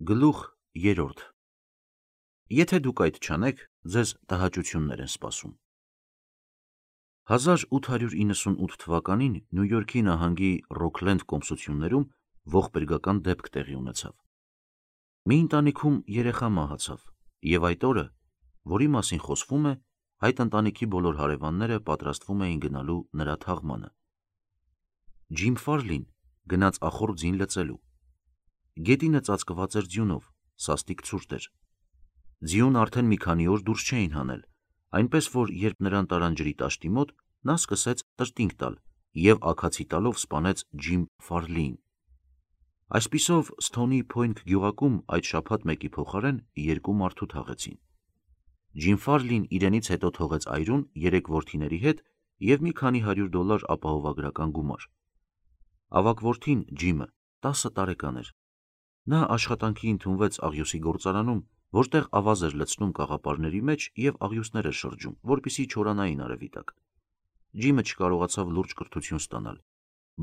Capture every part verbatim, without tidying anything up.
Գլուխ երրորդ Եթե դուք այդ չանեք, ձեզ տհաճություններ են սպասում։ հազար ութ հարյուր իննսունութ թվականին Նյու Յորքի նահանգի Ռոքլենդ կոմսություններում ողբերգական դեպք տեղի ունեցավ։ Մի ընտանիքում երեխա մահացավ, և այդ օրը, որի մասին խոսվում է, այդ ընտանիքի բոլոր հարևանները պատրաստվում էին գնալու նրա թաղմանը։ Ջիմ Ֆարլին գնաց ախորժ ձին լծելու։ Գետինը ծածկված էր ձյունով, սաստիկ ցուրտ էր։ Ձիուն արդեն մի քանի օր դուրս չէին հանել, այնպես որ երբ նրան տարան ջրի տաշտի մոտ, նա սկսեց տրտինգ տալ և աքացի տալով սպանեց Ջիմ Ֆարլիին։ Այսպիսով Սթոնի Փոյնթ գյուղակում այդ շաբաթ մեկի փոխարեն երկու մարդու թաղեցին։ Ջիմ Ֆարլին իրենից հետո թողեց այրուն երեք որդիների հետ և մի քանի հարյուր դոլար ապահովագրական գումար։ Ավագ որդին՝ Ջիմը, տասը տարեկան էր։ Նա աշխատանքի ընդունվեց աղյուսի գործարանում, որտեղ ավազ էր լցնում կաղապարների մեջ և աղյուսներ էր շրջում, որպեսզի չորանային արևի տակ։ Ջիմը չկարողացավ լուրջ կրթություն ստանալ,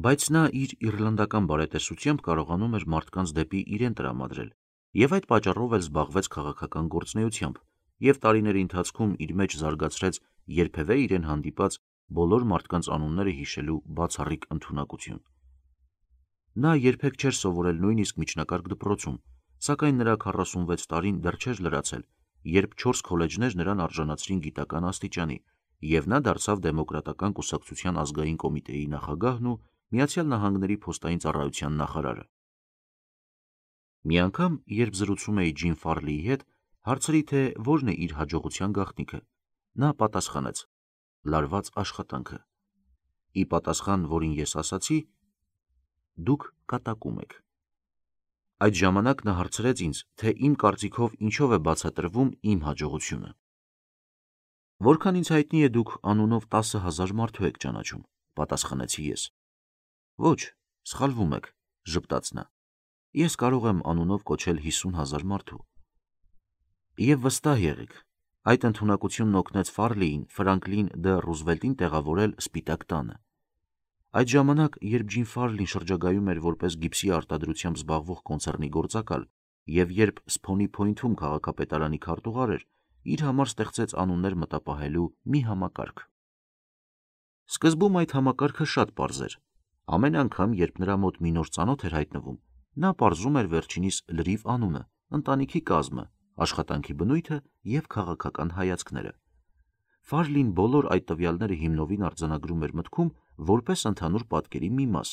բայց նա իր իռլանդական բարետեսությամբ կարողանում էր մարդկանց դեպի իրեն տրամադրել և այդ պատճառով էլ զբաղվեց քաղաքական գործունեությամբ և տարիների ընթացքում իր մեջ զարգացրեց երբևէ իրեն հանդիպած բոլոր մարդկանց անունները հիշելու բացառիկ ընդունակություն։ Նա երբեք չէր սովորել նույնիսկ միջնակարգ դպրոցում, սակայն նրա քառասունվեց տարին դեռ չէր լրացել, երբ չորս քոլեջներ նրան արժանացրին գիտական աստիճանի, և նա դարձավ Դեմոկրատական կուսակցության ազգային կոմիտեի նախագահն ու Միացյալ Նահանգների փոստային ծառայության նախարարը։ Մի անգամ, երբ զրուցում էի Ջիմ Ֆարլիի հետ, հարցրի, թե որն է իր հաջողության գաղտնիքը, նա պատասխանեց. լարված աշխատանքը։ Ի պատասխան, որին ես ասացի. դուք կատակում եք։ Այդ ժամանակ նա հարցրեց ինձ, թե իմ կարծիքով ինչով է բացատրվում իմ հաջողությունը։ Որքան ինձ հայտնի է, դուք անունով տասը հազար մարդու եք ճանաչում, պատասխանեցի ես։ Ոչ, սխալվում եք, ժպտաց նա, ես կարող եմ անունով կոչել հիսուն հազար մարդու։ Եվ վստահ եղեք, այդ ընդունակությունն օգնեց Ֆարլիին Ֆրանկլին Դ. Ռուզվելտին տեղավորել Սպիտակ տանը։ Այդ ժամանակ, երբ Ջիմ Ֆարլին շրջագայում էր որպես գիպսի արտադրությամբ զբաղվող կոնցեռնի գործակալ և երբ Սփոնի Փոյնթում քաղաքապետարանի քարտուղար էր, իր համար ստեղծեց անուններ մտապահելու մի համակարգ։ Սկզբում այդ համակարգը շատ պարզ էր։ Ամեն անգամ, երբ նրա մոտ մի նոր ծանոթ էր հայտնվում, նա պարզում էր վերջինիս լրիվ անունը, ընտանիքի կազմը, աշխատանքի բնույթը և քաղաքական հայացքները։ Ֆարլին բոլոր այդ տվյալները հիմնովին արձանագրում էր մտքում որպես ընդհանուր պատկերի մի մաս,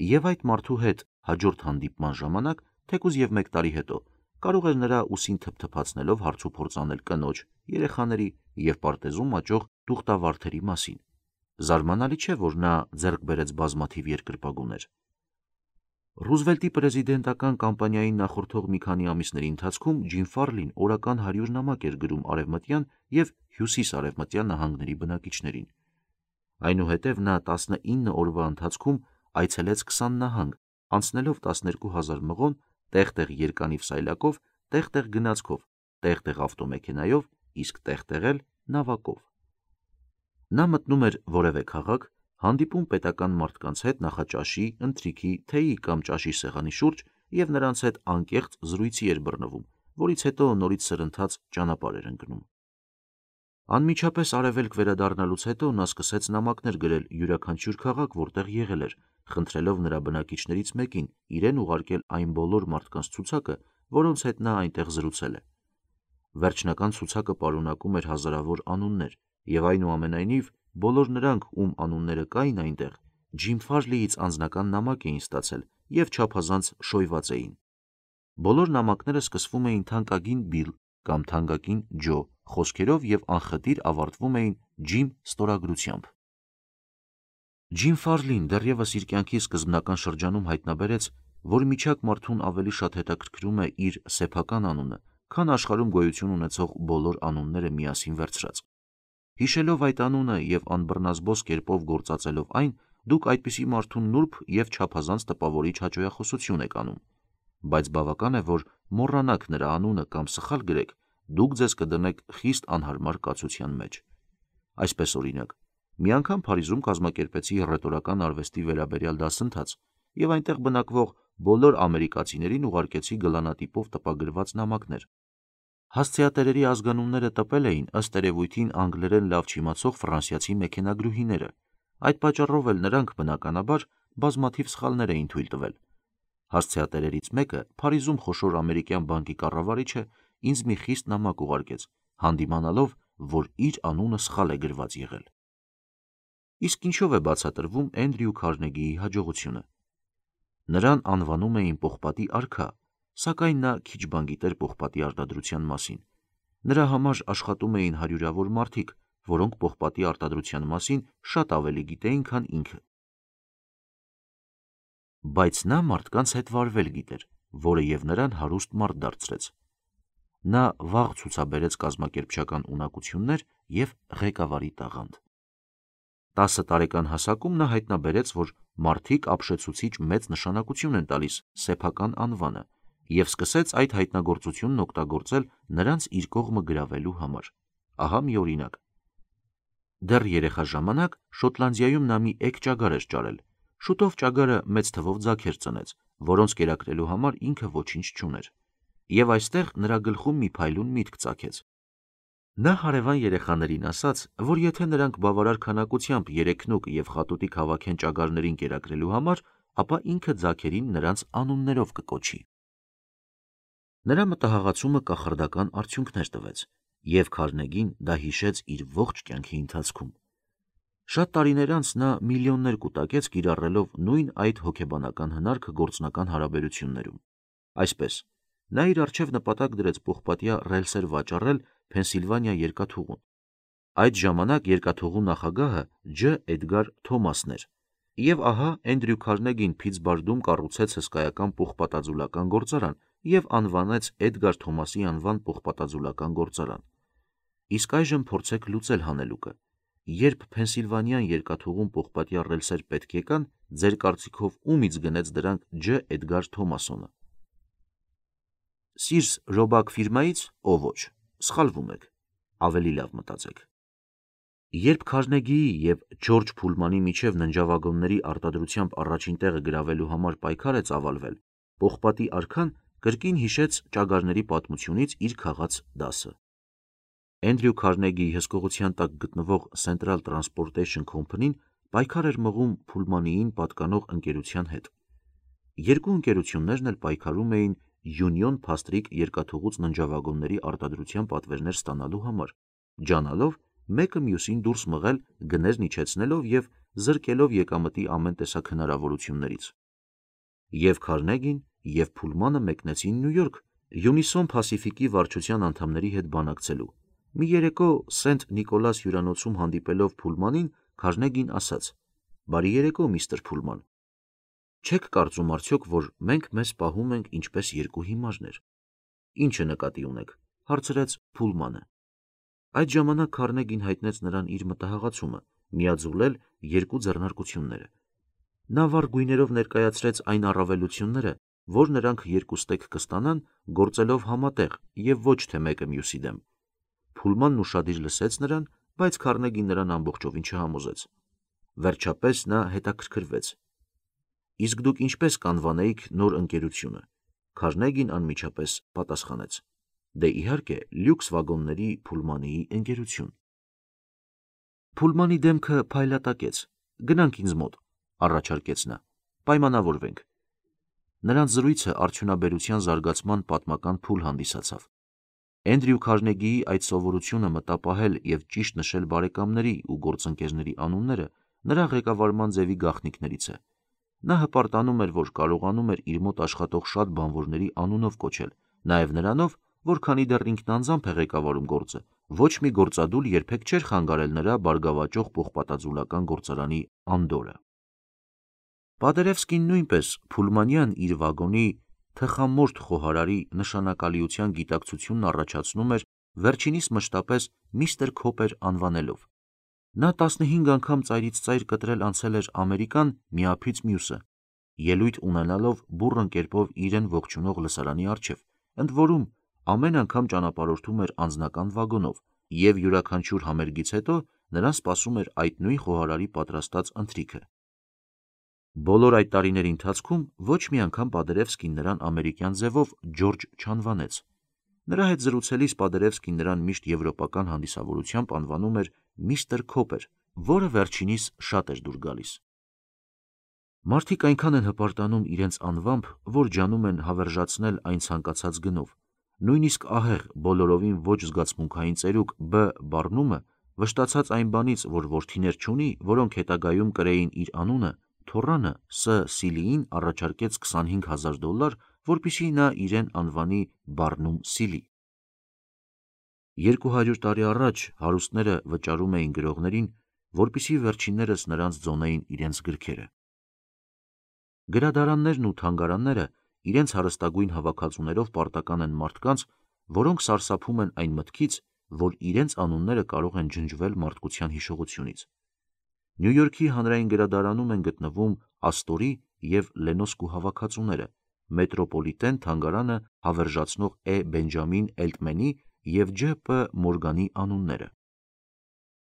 և այդ մարդու հետ հաջորդ հանդիպման ժամանակ, թեկուզ և մեկ տարի հետո, կարող էր նրա ուսին թփթփացնելով հարցուփորձ անել կնոջ, երեխաների և պարտեզում աճող տուղտավարդերի մասին։ Զարմանալի չէ, որ նա ձեռք բերեց բազմաթիվ երկրպագուներ։ Ռուզվելտի պրեզիդենտական կամպանիային նախորդող մի քանի ամիսների ընթացքում Ջիմ Ֆարլին օրական հարյուր նամակ էր գրում արևմտյան և հյուսիսարևմտյան նահանգների բնակիչներին։ Այնուհետև նա տասնինը օրվա ընթացքում այցելեց քսան նահանգ, անցնելով տասներկու հազար մղոն տեղ-տեղ երկանիվ սայլակով, տեղ-տեղ գնացքով, տեղ-տեղ ավտոմեքենայով, իսկ տեղ-տեղ էլ նավակով։ Նա մտնում էր որևէ քաղաք, հանդիպում պետական մարդկանց հետ նախաճաշի, ընթրիքի, թեյի կամ ճաշի սեղանի շուրջ և նրանց հետ անկեղծ զրույցի էր բռնվում, որից հետո նորից սրընթաց ճանապարհ էր ընկնում։ Անմիջապես արևելք վերադառնալուց հետո նա սկսեց նամակներ գրել յուրաքանչյուր քաղաք, որտեղ եղել էր, խնդրելով նրա բնակիչներից մեկին իրեն ուղարկել այն բոլոր մարդկանց ցուցակը, որոնց հետ նա այնտեղ զրուցել է։ Վերջնական ցուցակը պարունակում էր հազարավոր անուններ, և այնուամենայնիվ, բոլոր նրանք, ում անունները կային այնտեղ, Ջիմ Ֆարլիից անձնական նամակ էին ստացել և չափազանց շոյված էին։ Բոլոր նամակները սկսվում էին թանկագին Բիլ կամ թանկագին Ջո խոսքերով և անխտիր ավարտվում էին Ջիմ ստորագրությամբ։ Ջիմ Ֆարլին դեռևս իր կյանքի սկզբնական շրջանում հայտնաբերեց, որ միջակ մարդուն ավելի շատ հետաքրքրում է իր սեփական անունը, քան աշխարհում գոյություն ունեցող բոլոր անունները միասին վերցրած։ Հիշելով այդ անունը և անբռնազբոս կերպով գործածելով այն, դուք այդպիսի մարդու նուրբ և չափազանց տպավորիչ հաճոյախոսություն եք անում։ Բայց բավական է, որ մոռանաք նրա անունը կամ սխալ գրեք, դուք ձեզ կդնեք խիստ անհարմար կացության մեջ։ Այսպես օրինակ, մի անգամ Փարիզում կազմակերպեցի հռետորական արվեստի վերաբերյալ դասընթաց, և այնտեղ բնակվող բոլոր ամերիկացիներին ուղարկեցի գլանատիպով տպագրված նամակներ։ Հասցեատերերի ազգանունները տպել էին ըստ երևույթին անգլերեն լավ չիմացող ֆրանսիացի մեքենագրուհիները, այդ պատճառով էլ նրանք բնականաբար բազմաթիվ սխալներ էին թույլ տվել։ Հասցեատերերից մեկը Փարիզում խոշոր ամերիկյան բանկի կառավարիչը ինձ մի խիստ նամակ ուղարկեց, հանդիմանալով, որ իր անունը սխալ է գրված եղել։ Իսկ ինչով է բացատրվում Էնդրյու Քարնեգիի հաջողությունը։ Նրան անվանում էին պողպատի արքա, սակայն նա քիչ բան գիտեր պողպատի արտադրության մասին։ Նրա համար աշխատում էին հարյուրավոր մարդիկ, որոնք պողպատի արտադրության մասին շատ ավելի գիտեին, քան ինքը։ Բայց նա մարդկանց հետ վարվել գիտեր, որը և նրան հարուստ մարդ դարձրեց։ Նա վաղ ցուցաբերեց կազմակերպչական ունակություններ և ղեկավարի տաղանդ։ Տասը տարեկան հասակում նա հայտնաբերեց, որ մարդիկ ապշեցուցիչ մեծ նշանակություն են տալիս սեփական անվանը և սկսեց այդ հայտնագործությունն օգտագործել նրանց իր կողմը գրավելու համար։ Ահա մի օրինակ։ Դեռ երեխա ժամանակ Շոտլանդիայում նա մի էգ ճագար էր ճարել։ Շուտով ճագարը մեծ թվով ձագեր ծնեց, որոնց կերակրելու համար ինքը ոչինչ չուներ։ Եվ այստեղ նրա գլխում մի փայլուն միտք ծագեց։ Նա հարևան երեխաներին ասաց, որ եթե նրանք բավարար քանակությամբ երեքնուկ և խատուտիկ հավաքեն ճագարներին կերակրելու համար, ապա ինքը ձագերին նրանց անուններով կկոչի։ Նրա մտահղացումը կախարդական արդյունքներ տվեց, և Քարնեգին դա հիշեց իր ողջ կյանքի ընթացքում։ Շատ տարիներ անց նա միլիոններ կուտակեց կիրառելով նույն այդ հոգեբանական հնարքը գործնական հարաբերություններում։ Այսպես, նա իր առջև նպատակ դրեց պողպատյա ռելսեր վաճառել Փենսիլվանիա երկաթուղուն։ Այդ ժամանակ երկաթուղու նախագահը Ջ. Էդգար Թոմասն էր, և ահա Էնդրյու Քարնեգին Փիթսբարգում կառուցեց հսկայական պողպատաձուլական գործարան և անվանեց Էդգար Թոմասի անվան պողպատաձուլական գործարան։ Իսկ այժմ փորձեք լուծել հանելուկը։ Երբ Փենսիլվանիան երկաթուղուն պողպատյա ռելսեր պետք եկան, ձեր կարծիքով ումից գնեց դրանք Ջ. Էդգար Թոմասոնը։ Սիրս Ռոբակ ֆիրմայից, ո ոչ, սխալվում եք, ավելի լավ մտածեք։ Երբ Քարնեգիի և Ջորջ Փուլմանի միջև ննջավագոնների արտադրությամբ առաջին տեղը գրավելու համար պայքար է ծավալվել, պողպատի արքան կրկին հիշեց ճագարների պատմությունից իր քաղած դասը։ Էնդրյու Քարնեգիի հսկողության տակ գտնվող Central Transportation Company-ն պայքար էր մղում Փուլմանիին պատկանող ընկերության հետ։ Երկու ընկերություններն էլ պայքարում էին Յունիոն Փաստրիկ երկաթուղուց ննջավագոնների արտադրության պատվերներ ստանալու համար, ջանալով մեկը մյուսին դուրս մղել գներն իջեցնելով և զրկելով եկամտի ամեն տեսակ հնարավորություններից։ Եվ Քարնեգին, և Փուլմանը մեկնեցին Նյու Յորք Յունիսոն Փասիֆիկի վարչության անդամների հետ բանակցելու։ Մի երեկո Սենթ Նիկոլաս հյուրանոցում հանդիպելով Փուլմանին, Քարնեգին ասաց. «Բարի երեկո, միստր Փուլման։ Չեք կարծում արդյոք, որ մենք մեզ պահում ենք ինչպես երկու հիմարներ»։ «Ի՞նչը նկատի ունեք», հարցրեց Փուլմանը։ Այդ ժամանակ Քարնեգին հայտնեց նրան իր մտահղացումը՝ միաձուլել երկու ձեռնարկությունները։ Նա վառ գույներով ներկայացրեց այն առավելությունները, որ նրանք երկուստեք կստանան գործելով համատեղ և ոչ թե մեկը մյուսի դեմ։ Փուլմանն ուշադիր լսեց նրան, բայց Քարնեգին նրան ամբողջովին չհամոզեց։ Վերջապես նա հետաքրքրվեց. «Իսկ դուք ինչպես կանվանեիք նոր ընկերությունը»։ Քարնեգին անմիջապես պատասխանեց. «Դե իհարկե, լյուքս վագոնների Փուլմանիի ընկերություն»։ Փուլմանի դեմքը փայլատակեց։ «Գնանք ինձ մոտ», առաջարկեց նա, «պայմանավորվենք»։ Նրանց զրույցը արդյունաբերության զարգացման պատմական փուլ հանդիսացավ։ Էնդրյու Քարնեգիի այդ սովորությունը մտապահել և ճիշտ նշել բարեկամների ու գործընկերների անունները նրա ղեկավարման ձևի գաղտնիքներից է։ Նա հպարտանում էր, որ կարողանում էր իր մոտ աշխատող շատ բանվորների անունով կոչել, նաև նրանով, որ քանի դեռ ինքն անձամբ է ղեկավարում գործը, ոչ մի գործադուլ երբեք չէր խանգարել նրա բարգավաճող պողպատաձուլական գործարանի անդորրը։ Պադերևսկին նույնպես Փուլմանյան իր վագոնի թխամորթ խոհարարի նշանակալիության գիտակցությունն առաջացնում էր վերջինիս մշտապես միստր Քոպեր անվանելով։ Նա տասնհինգ անգամ ծայրից ծայր կտրել անցել էր Ամերիկան մի ափից մյուսը, ելույթ ունենալով բուռն կերպով իրեն ողջունող լսարանի առջև, ընդ որում ամեն անգամ ճանապարհորդում էր անձնական վագոնով, և յուրաքանչյուր համերգից հետո նրան սպասում էր այդ նույն խոհարարի պատրաստած ընթրիքը։ Բոլոր այդ տարիների ընթացքում ոչ մի անգամ Պադերևսկին նրան ամերիկյան ձևով Ջորջ չանվանեց։ Նրա հետ զրուցելիս Պադերևսկին նրան միշտ եվրոպական հանդիսավորությամբ անվանում էր միստր Քոպեր, որը վերջինիս շատ էր դուր գալիս։ Մարդիկ այնքան են հպարտանում իրենց անվամբ, որ ջանում են հավերժացնել այն ցանկացած գնով։ Նույնիսկ ահեղ բոլորովին ոչ զգացմունքային ծերուկ B բառնումը, վշտացած այն բանից, որ որդիներ չունի, որոնք հետագայում կրեին իր անունը, թոռանը S. Սիլիին առաջարկեց քսանհինգ հազար դոլար, որպեսզի նա իրեն անվանի Բարնում Սիլի։ Երկու հարյուր տարի առաջ հարուստները վճարում էին գրողներին, որպեսզի վերջիններս նրանց ձոնեին իրենց գրքերը։ Գրադարաններն ու թանգարանները իրենց հարստագույն հավաքածուներով պարտական են մարդկանց, որոնք սարսափում են այն մտքից, որ իրենց անունները կարող են ջնջվել մարդկության հիշողությունից։ Նյու Յորքի հանրային գրադարանում են գտնվում Աստորի և Լենոսկու հավաքածուները, Մետրոպոլիտեն թանգարանը հավերժացնող E. Բենջամին Էլտմենի և Ջ. Պ. Մորգանի անունները։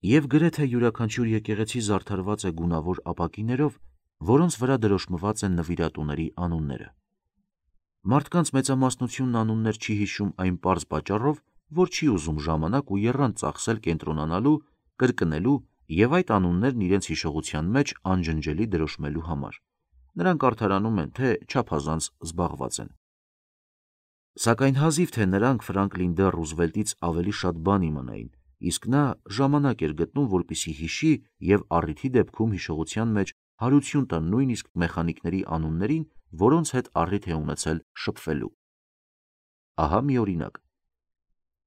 Եվ գրեթե յուրաքանչյուր եկեղեցի զարդարված է գունավոր ապակիներով, որոնց վրա դրոշմված են նվիրատուների անունները։ Մարդկանց մեծամասնությունն անուններ չի հիշում այն պարզ պատճառով, որ չի ուզում ժամանակ ու եռանդ ծախսել կենտրոնանալու, կրկնելու և այդ անուններն իրենց հիշողության մեջ անջնջելի դրոշմելու համար։ Նրանք արդարանում են, թե չափազանց զբաղված են։ Սակայն հազիվ թե նրանք Ֆրանկլին Դ. Ռուզվելտից ավելի շատ բան իմանային, իսկ նա ժամանակ էր գտնում, որպեսզի հիշի և առիթի դեպքում հիշողության մեջ հարություն տա նույնիսկ մեխանիկների անուններին, որոնց հետ առիթ է ունեցել շփվելու։ Ահա մի օրինակ.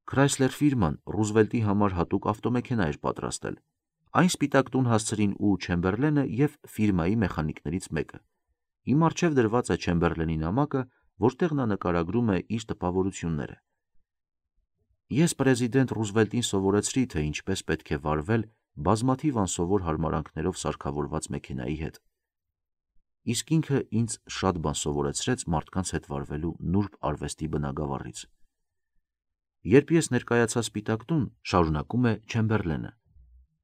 Chrysler ֆիրման Ռուզվելտի համար հատուկ ավտոմեքենա էր պատրաստել։ Այն սպիտակ տուն հասցրին ու Չեմբերլենը և ֆիրմայի մեխանիկներից մեկը։ Իմ առջև դրված է Չեմբերլենի նամակը, որտեղ նա նկարագրում է իր տպավորությունները։ Ես պրեզիդենտ Ռուզվելտին սովորեցրի, թե ինչպես պետք է վարվել բազմաթիվ անսովոր հարմարանքներով սարքավորված մեքենայի հետ։ Իսկ ինքը ինձ շատ բան սովորեցրեց մարդկանց հետ վարվելու նուրբ արվեստի բնագավառից։ Երբ ես ներկայացա սպիտակ տուն, շարունակում է Չեմբերլենը,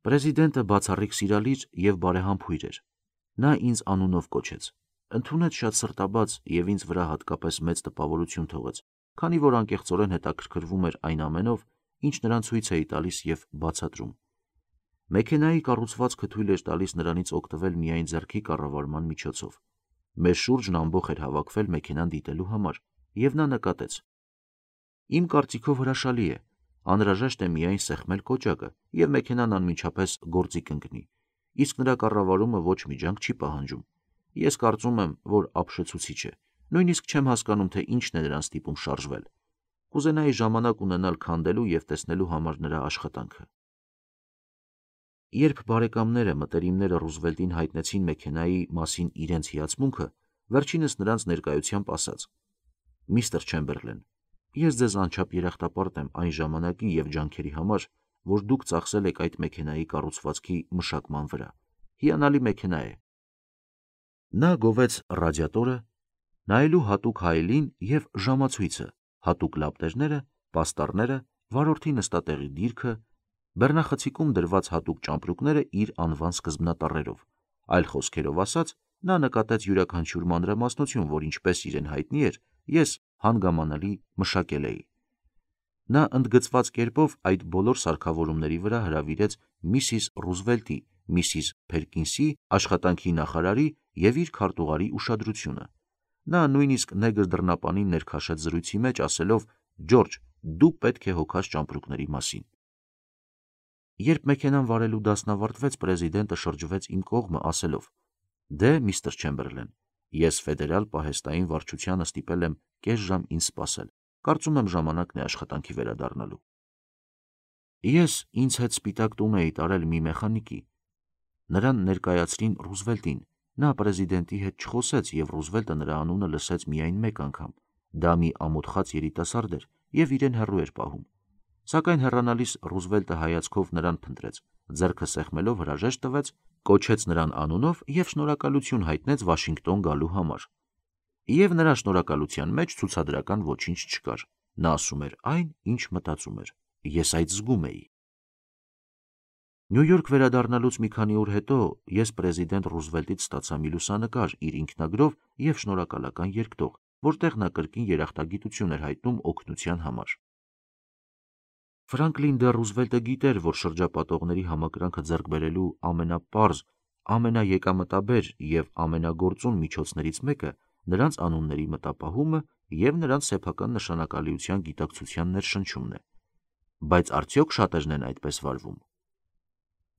պրեզիդենտը բացառիկ սիրալիր և բարեհամբույր էր։ Նա ինձ անունով կոչեց, ընդունեց շատ սրտաբաց և ինձ վրա հատկապես մեծ տպավորություն թողեց, քանի որ անկեղծորեն հետաքրքրվում էր այն ամենով, ինչ նրան ցույց էի տալիս և բացատրում։ Մեքենայի կառուցվածքը թույլ էր տալիս նրանից օգտվել միայն ձեռքի կառավարման միջոցով։ Մեր շուրջն ամբոխ էր հավաքվել մեքենան դիտելու համար, և նա նկատեց. Իմ կարծիքով հրաշալի է, անհրաժեշտ է միայն սեղմել կոճակը, և մեքենան անմիջապես գործի կընկնի, իսկ նրա կառավարումը ոչ մի ջանք չի պահանջում։ Ես կարծում եմ, որ ապշեցուցիչ է, նույնիսկ չեմ հասկանում, թե ինչն է նրան ստիպում շարժվել։ Կուզենայի ժամանակ ունենալ քանդելու և տեսնելու համար նրա աշխատանքը։ Երբ բարեկամները, մտերիմները Ռուզվելտին հայտնեցին մեքենայի մասին իրենց հիացմունքը, վերջինս նրանց ներկայությամբ ասաց. Միստր Չեմբերլեն, ես ձեզ անչափ երախտապարտ եմ այն ժամանակի և ջանքերի համար, որ դուք ծախսել եք այդ մեքենայի կառուցվածքի մշակման վրա։ Հիանալի մեքենա է։ Նա գովեց ռադիատորը, նայելու հատուկ հայելին և ժամացույցը, հատուկ լապտերները, պաստառները, վարորդի նստատեղի դիրքը, բեռնախցիկում դրված հատուկ ճամպրուկները իր անվան սկզբնատառերով։ Այլ խոսքերով ասած, նա նկատեց յուրաքանչյուր մանրամասնություն, որ ինչպես իրեն հայտնի էր, ես հանգամանալի մշակել էի։ Նա ընդգծված կերպով այդ բոլոր սարքավորումների վրա հրավիրեց Միսիս Ռուզվելտի, Միսիս Փերկինսի, աշխատանքի նախարարի և իր քարտուղարի ուշադրությունը։ Նա նույնիսկ նեգր դռնապանին ներքաշեց զրույցի մեջ, ասելով. Ջորջ, դու պետք է հոգաս ճամպրուկների մասին։ Երբ մեքենան վարելու դասն ավարտվեց, պրեզիդենտը շրջվեց իմ կողմը, ասելով. Դե, միստր Չեմբերլեն, ես ֆեդերալ պահեստային վարչությանը ստիպել եմ կես ժամ ինձ սպասել։ Կարծում եմ ժամանակն է աշխատանքի վերադառնալու։ Ես ինձ հետ սպիտակ տուն էի տարել մի մեխանիկի։ Նրան ներկայացրին Ռուզվելտին։ Նա պրեզիդենտի հետ չխոսեց, և Ռուզվելտը նրա անունը լսեց միայն մեկ անգամ։ Դա մի ամոթխած երիտասարդ էր և իրեն հեռու էր պահում։ Սակայն հեռանալիս Ռուզվելտը հայացքով նրան փնտրեց, ձեռքը սեղմելով հրաժեշտ տվեց, կոչեց նրան անունով և շնորհակալություն հայտնեց Վաշինգտոն գալու համար։ Եվ նրա շնորհակալության մեջ ցուցադրական ոչինչ չկար։ Նա ասում էր այն, ինչ մտածում էր։ Ես այդ զգում էի։ Նյու Յորք վերադառնալուց մի քանի օր հետո ես պրեզիդենտ Ռուզվելտից ստացա մի լուսանկար իր ինքնագրով և շնորհակալական երկտող, որտեղ նա կրկին երախտագիտություն էր հայտնում օգնության համար։ Ֆրանկլին դե Ռուզվելտը գիտեր, որ շրջապատողների համակրանքը ձեռք բերելու ամենապարզ, ամենաեկամտաբեր և ամենագործուն միջոցներից մեկը նրանց անունների մտապահումը և նրանց սեփական նշանակալիության գիտակցության ներշնչումն է։ Բայց արդյոք շատերն են այդպես վարվում։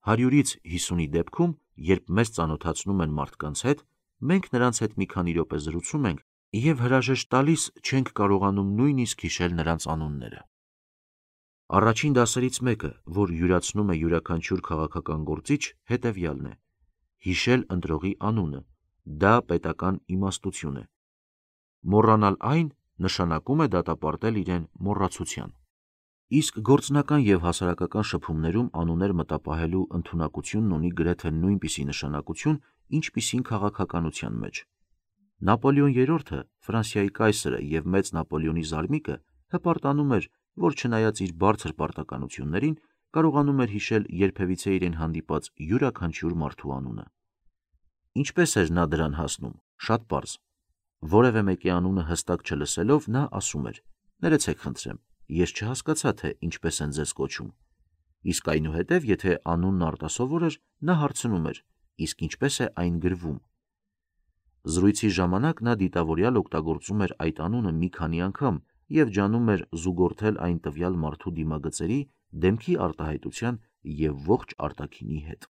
Հարյուրից հիսունի դեպքում, երբ մեզ ծանոթացնում են մարդկանց հետ, մենք նրանց հետ մի քանի րոպե զրուցում ենք և հրաժեշտ տալիս չենք կարողանում նույնիսկ հիշել նրանց անունները։ Առաջին դասերից մեկը, որ յուրացնում է յուրաքանչյուր քաղաքական գործիչ, հետևյալն է. հիշել ընտրողի անունը, դա պետական իմաստություն է։ Մոռանալ այն նշանակում է դատապարտել իրեն մոռացության։ Իսկ գործնական և հասարակական շփումներում անուններ մտապահելու ընդունակությունն ունի գրեթե նույնպիսի նշանակություն, ինչպիսին քաղաքականության մեջ։ Նապոլեոն երրորդը, Ֆրանսիայի կայսրը և մեծ Նապոլեոնի զարմիկը հպարտանում էր, որ չնայած իր բարձր պարտականություններին, կարողանում էր հիշել երբևիցե իրեն հանդիպած յուրաքանչյուր մարդու անունը։ Ինչպես էր նա դրան հասնում։ Շատ պարզ։ Որևէ մեկի անունը հստակ չլսելով, նա ասում էր. «Ներեցեք խնդրեմ, ես չհասկացա, թե ինչպես են ձեզ կոչում»։ Իսկ այնուհետև, եթե անունն արտասովոր էր, նա հարցնում էր. «Իսկ ինչպես է այն գրվում»։ Զրույցի ժամանակ նա դիտավորյալ օգտագործում էր այդ անունը մի քանի անգամ և ջանում էր զուգորդել այն տվյալ մարդու դիմագծերի, դեմքի արտահայտության և ողջ արտաքինի հետ։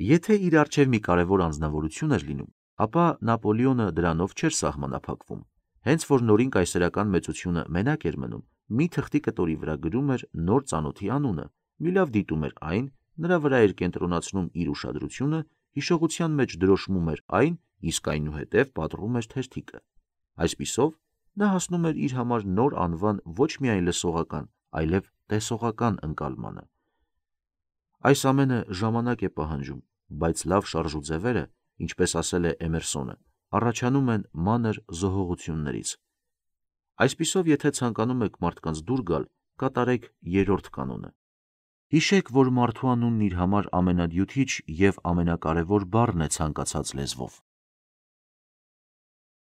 Եթե իր առջև մի կարևոր անձնավորություն էր լինում, ապա Նապոլեոնը դրանով չէր սահմանափակվում։ Հենց որ նորին կայսերական մեծությունը մենակ էր մնում, մի թղթի կտորի վրա գրում էր նոր ծանոթի անունը, մի լավ դիտում էր այն, նրա վրա էր կենտրոնացնում իր ուշադրությունը, հիշողության մեջ դրոշմում էր այն, իսկ այնուհետև պատռում էր թերթիկը։ Այսպիսով, նա հասնում էր իր համար նոր անվան ոչ միայն լսողական, այլև տեսողական ընկալմանը։ Այս ամենը ժամանակ է պահանջում, բայց լավ շարժուձևերը, ինչպես ասել է Էմերսոնը, առաջանում են մանր զոհողություններից։ Այսպիսով, եթե ցանկանում եք մարդկանց դուր գալ, կատարեք երրորդ կանոնը։ Հիշեք, որ մարդու անունն իր համար ամենադյութիչ և ամենակարևոր բառն է ցանկացած լեզվով։